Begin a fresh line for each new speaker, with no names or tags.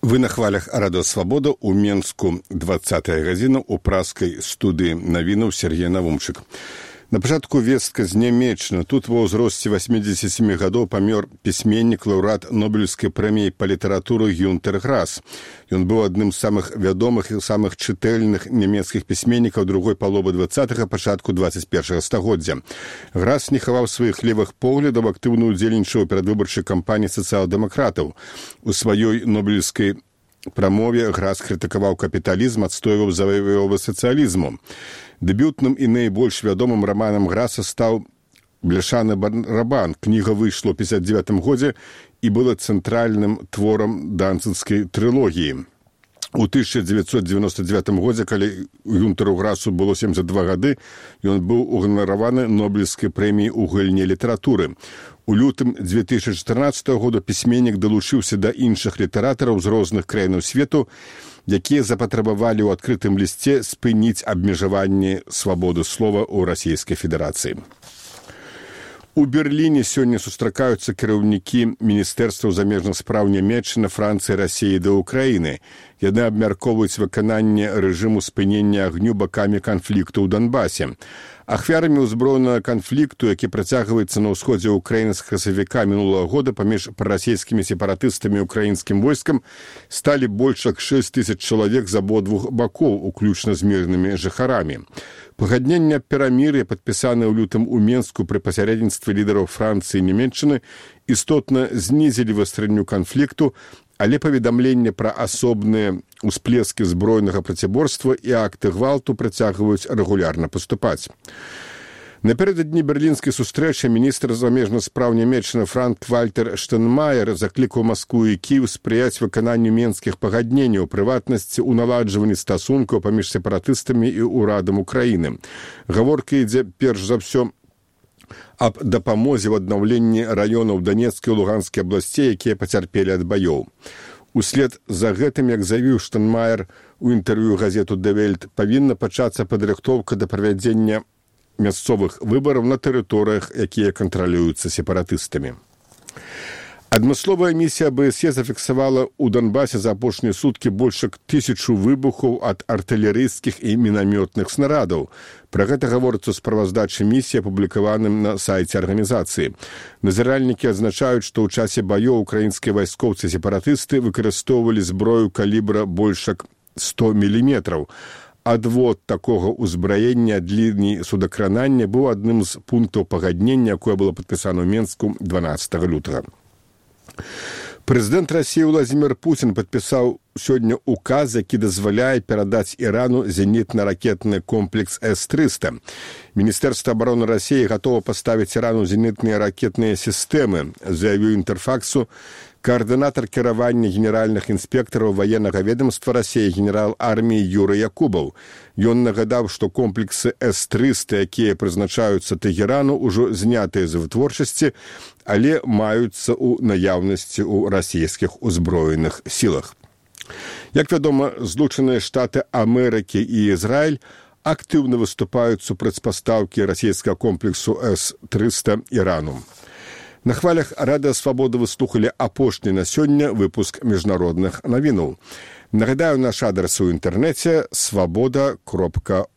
Вы на хвалях Радио Свобода у Менску 20-я гадзіна у праскай студыі навінаў Сергей Навумчык. На пачатку вестка з Нямеччыны. Тут ва ўзросце 87 гадоў памёр пісьменнік, лаўрэат Нобелеўскай прэміі па літаратуры Гюнтер Грас. Ён быў адным з самых вядомых і самых чытальных нямецкіх пісьменнікаў другой паловы 20-га, пачатку 21-га стагоддзя. Грас не хаваў сваіх левых поглядаў, актыўна ўдзельнічаў у перадвыбарчай кампаніі сацыял-дэмакратаў. У сваёй нобелеўскай прамове Грас крытыкаваў капіталізм, адстойваў заваёвы сацыялізму. Дэбютным і найбольш вядомым раманам Граса стаў «Бляшаны барабан». Кніга выйшла ў 1959 годзе і была цэнтральным творам данцынскай трылогіі. У 1999 годзе, калі Гюнтеру Грасу было 72 гады, ён быў уганараваны Нобелеўскай прэміяй у галіне літаратуры. У лютым 2014 года пісьменнік далучыўся да іншых літаратараў з розных краінаў свету, якія запатрабавалі ў адкрытым лісце спыніць абмежаванне свабоды слова ў Расійскай Федэрацыі. У Берліне сёння сустракаюцца кіраўнікі міністэрстваў замежных спраў Нямецчыны, Францыі, Расіі да Ўкраіны. Яны абмяркоўваюць выкананне рэжыму спынення агню бакамі канфлікту ў Донбасе. Ахвярамі ўзброенага канфлікту, які працягваецца на ўсходзе Ўкраіны з красавіка мінулага года паміж прарасійскімі сепаратыстамі і ўкраінскім войскам, сталі больш як 6 000 чалавек з абодвух бакоў, уключна з мірнымі жыхарамі. Пагаднення перамір'я, падпісанае ў лютым у Менску пры пасярэдніцтве лідараў Францыі і Нямецчыны, істотна знізілі вастрэнню канфлікту, але паведамленне пра асобныя ўсплескі збройнага працяборства і акты гвалту працягваюць рэгулярна паступаць. Напярэдадні берлінскай сустрэчы міністр замежных спраў Нямецчыны Франк-Вальтер Штайнмаер заклікаў Маскву і Кіеў спрыяць выкананню менскіх пагадненняў, у прыватнасці ў наладжванні стасункаў паміж сепаратыстамі і ўрадам Украіны. Гаворка ідзе перш за ўсё аб дапамозе ў аднаўленні раёнаў Данецкай і Луганскай абласцей, якія пацярпелі ад баёў. Услед за гэтым, як заявіў Штайнмаер у інтэрв'ю газету «Die Welt», павінна пачацца падрыхтоўка да правядзення мясцовых выбараў на тэрыторыях, якія кантралююцца сепаратыстамі. Адмысловая місія АБСЕ зафіксавала ў Донбасе за апошнія суткі больш як 1000 выбухаў ад артылерыйскіх і мінамётных снарадаў. Пра гэта гаворыцца ў справаздачы місіі, апублікаваным на сайце арганізацыі. Назіральнікі адзначаюць, што ў часе баёў украінскія вайскоўцы-сепаратысты выкарыстоўвалі зброю калібра больш як 100 мм. Адвод такога ўзбраення ад лініі судакранання быў адным з пунктаў пагаднення, якое было падпісана ў Менску 12 лютага. Прэзідэнт Расіі Владзімір Пуцін падпісаў сёння указ, які дазваляе перадаць Ірану зенітна-ракетны комплекс С-300. Міністэрства абароны Расіі гатова паставіць Ірану зенітныя ракетныя сістэмы, заявіў Інтэрфаксу каардынатар кіравання генеральных інспектараў ваеннага ведомства Расіі генерал арміі Юрый Якубаў. Ён нагадаў, што комплексы С-300, якія прызначаюцца Тэгерану, ужо знятыя з вытворчасці, але маюцца ў наяўнасці ў расійскіх узброеных сілах. Як вядома, Злучаныя Штаты Амерыкі і Ізраіль актыўна выступаюць супраць пастаўкі расійскага комплексу С-300 Ірану. На хвалях Радыё Свабода вы слухалі апошні на сёння выпуск міжнародных навінаў. Нагадаю, наш адрас у інтэрнэце свабода.орг.